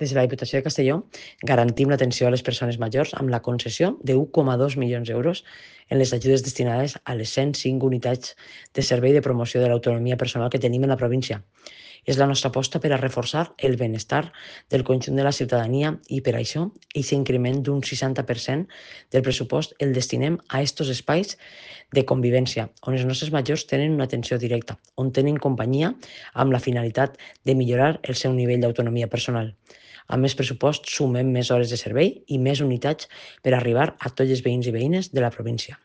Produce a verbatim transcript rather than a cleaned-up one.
Des de la Diputació de Castelló garantim l'atenció a les persones majors amb la concessió de u coma dos milions d'euros en les ajudes destinades a les cent cinc unitats de servei de promoció de l'autonomia personal que tenim en la província. És la nostra aposta per a reforçar el benestar del conjunt de la ciutadania i per això aquest increment d'un seixanta per cent del pressupost el destinem a aquests espais de convivència, on els nostres majors tenen una atenció directa, on tenen companyia amb la finalitat de millorar el seu nivell d'autonomia personal. Amb més pressupost sumem més hores de servei i més unitats per arribar a tots els veïns i veïnes de la província.